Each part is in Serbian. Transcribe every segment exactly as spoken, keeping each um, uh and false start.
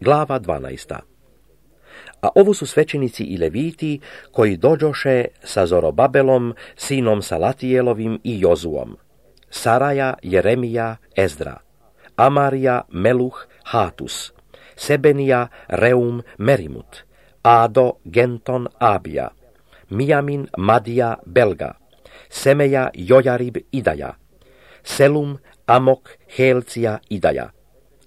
Glava dvanaesta. A ovo su svećenici i leviti koji dođoše sa Zorobabelom, sinom Salatijelovim i Jozuom. Saraja, Jeremija, Ezdra, Amarija, Meluh, Hatus, Sebenija, Reum, Merimut, Ado, Genton, Abija, Mijamin, Madija, Belga, Semeja, Jojarib, Idaja, Selum, Amok, Helcija, Idaja.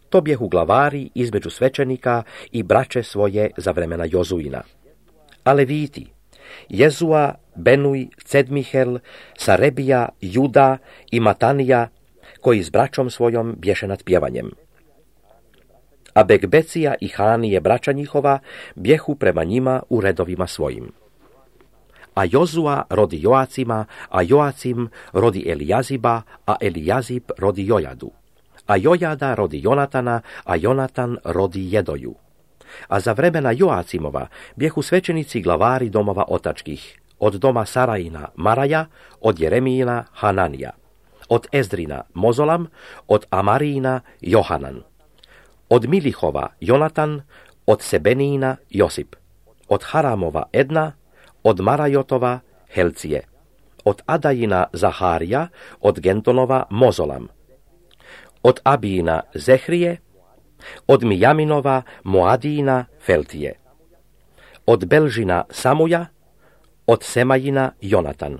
To bjehu glavari između svećenika i braće svoje za vremena Jozuina. A leviti, Jezua, Benuj, Cedmihel, Sarebija, Juda i Matanija, koji s braćom svojom bješe nad pjevanjem. A Bekbecija i Hanije, braća njihova, bjehu prema njima u redovima svojim. A Jozua rodi Joacima, a Joacim rodi Elijaziba, a Elijazib rodi Jojadu. A Jojada rodi Jonatana, a Jonatan rodi Jedoju. A za vremena Joacimova bjehu svećenici glavari domova otačkih, od doma Sarajina Maraja, od Jeremijina Hananija, od Ezdrina Mozolam, od Amarijina Johanan, od Milihova Jonatan, od Sebenijina Josip, od Haramova Edna, od Marajotova Helcije, od Adajina Zaharija, od Gentonova Mozolam, od Abijina Zehrije, od Mijaminova Moadijina Feltije, od Belžina Samuja, od Semajina Jonatan,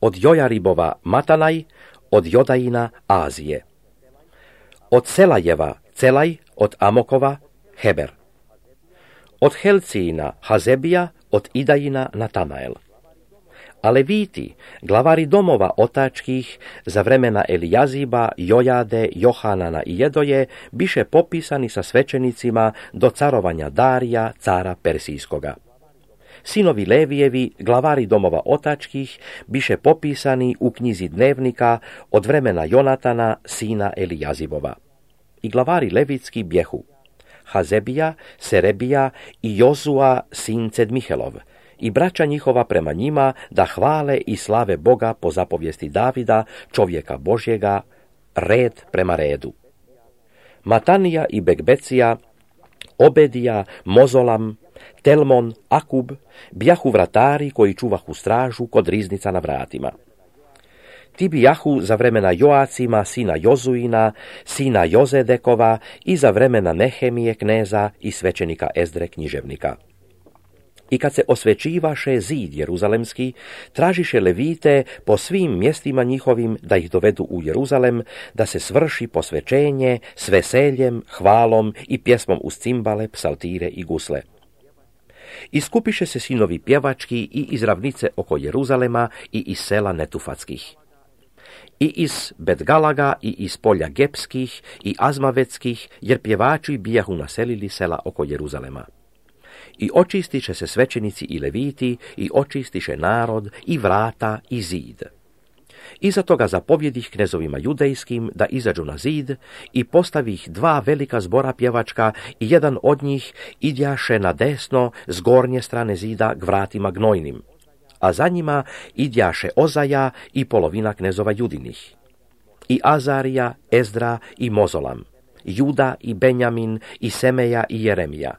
od Jojaribova Matanaj, od Jodajina Azije, od Selajeva Celaj, od Amokova Heber, od Helcijina Hazebija, od Idajina Natanael. A leviti, glavari domova otačkih, za vremena Elijaziba, Jojade, Johanana i Jedoje, biše popisani sa svećenicima do carovanja Darija, cara Persijskoga. Sinovi Levijevi, glavari domova otačkih, biše popisani u knjizi dnevnika od vremena Jonatana, sina Elijazibova. I glavari levitski bjehu Hazebija, Serebija i Jozua, sin Cedmihelov, i braća njihova prema njima da hvale i slave Boga po zapovijesti Davida, čovjeka Božjega, red prema redu. Matanija i Bekbecija, Obedija, Mozolam, Telmon, Akub, bjahu vratari koji čuvahu stražu kod riznica na vratima. Ti bijahu za vremena Joacima, sina Jozuina, sina Jozedekova i za vremena Nehemije kneza i svećenika Ezdre književnika. I kad se osvećivaše zid jeruzalemski, tražiše levite po svim mjestima njihovim da ih dovedu u Jeruzalem, da se svrši posvećenje s veseljem, hvalom i pjesmom uz cimbale, psaltire i gusle. Iskupiše se sinovi pjevački i iz ravnice oko Jeruzalema i iz sela Netufatskih. I iz Betgalaga i iz polja Gepskih i Azmavetskih, jer pjevači bijahu naselili sela oko Jeruzalema. I očistiše se svećenici i leviti, i očistiše narod, i vrata, i zid. Iza toga zapovjedih knezovima judejskim da izađu na zid i postavih dva velika zbora pjevačka i jedan od njih idjaše na desno s gornje strane zida k vratima gnojnim, a za njima idjaše Ozaja i polovina knezova judinih, i Azarija, Ezdra i Mozolam, Juda i Benjamin i Semeja i Jeremija.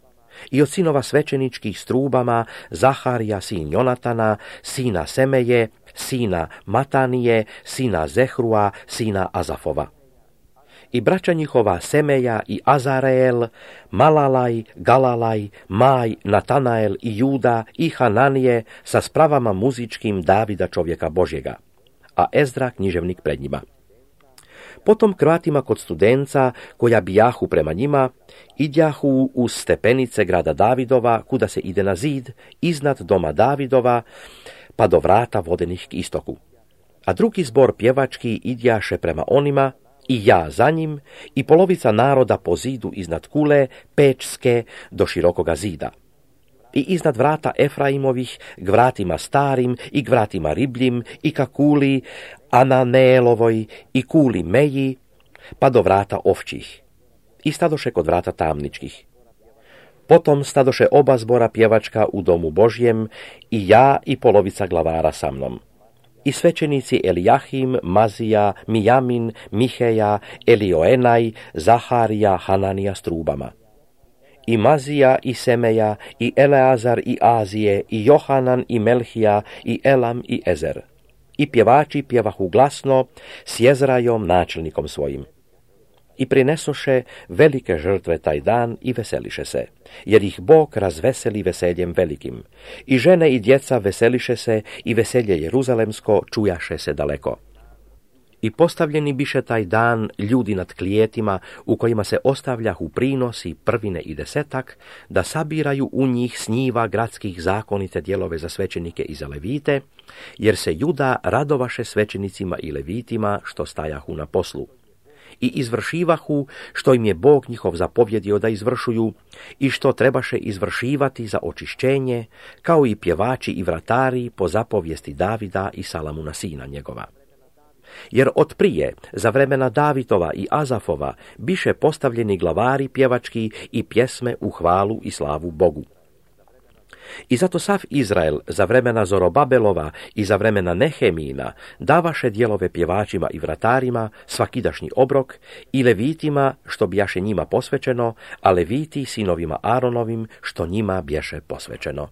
I od sinova svećeničkih strubama Zaharija, sin Jonatana, sina Semeje, sina Matanije, sina Zehrua, sina Azafova. I braća njihova Semeja i Azareel, Malalaj, Galalaj, Maj, Natanael i Juda i Hananije sa spravama muzičkim Davida čovjeka Božjega, a Ezdra književnik pred njima. Potom k vratima kod studenca, koja bijahu prema njima, idjahu uz stepenice grada Davidova, kuda se ide na zid, iznad doma Davidova, pa do vrata vodenih k istoku. A drugi zbor pjevački idjaše prema onima, i ja za njim, i polovica naroda po zidu iznad kule, Pečske, do širokoga zida. I iznad vrata Efraimovih, k vratima starim i k vratima ribljim, i ka kuli Ananeelovoj i kuli Meji, pa do vrata ovčih. I stadoše kod vrata tamničkih. Potom stadoše oba zbora pjevačka u domu Božjem, i ja i polovica glavara sa mnom. I svećenici Elijahim, Mazija, Mijamin, Miheja, Elioenaj, Zaharija, Hananija s trubama. i Mazija i Semeja, i Eleazar i Azije, i Johanan i Melhija, i Elam i Ezer. I pjevači pjevahu glasno s Jezrajom načelnikom svojim. I prinesoše velike žrtve taj dan i veseliše se, jer ih Bog razveseli veseljem velikim. I žene i djeca veseliše se i veselje Jeruzalemsko čujaše se daleko. I postavljeni biše taj dan ljudi nad klijetima u kojima se ostavljahu prinosi, prvine i desetak, da sabiraju u njih s njiva gradskih zakonite dijelove za svećenike i za levite, jer se Juda radovaše svećenicima i levitima što stajahu na poslu. I izvršivahu što im je Bog njihov zapovjedio da izvršuju i što trebaše izvršivati za očišćenje, kao i pjevači i vratari po zapovijesti Davida i Salamuna sina njegova. Jer od prije, za vremena Davitova i Azafova, biše postavljeni glavari pjevački i pjesme u hvalu i slavu Bogu. I zato sav Izrael za vremena Zorobabelova i za vremena Nehemijina davaše dijelove pjevačima i vratarima svakidašnji obrok i levitima što bijaše njima posvećeno, a leviti sinovima Aronovim što njima bješe posvećeno.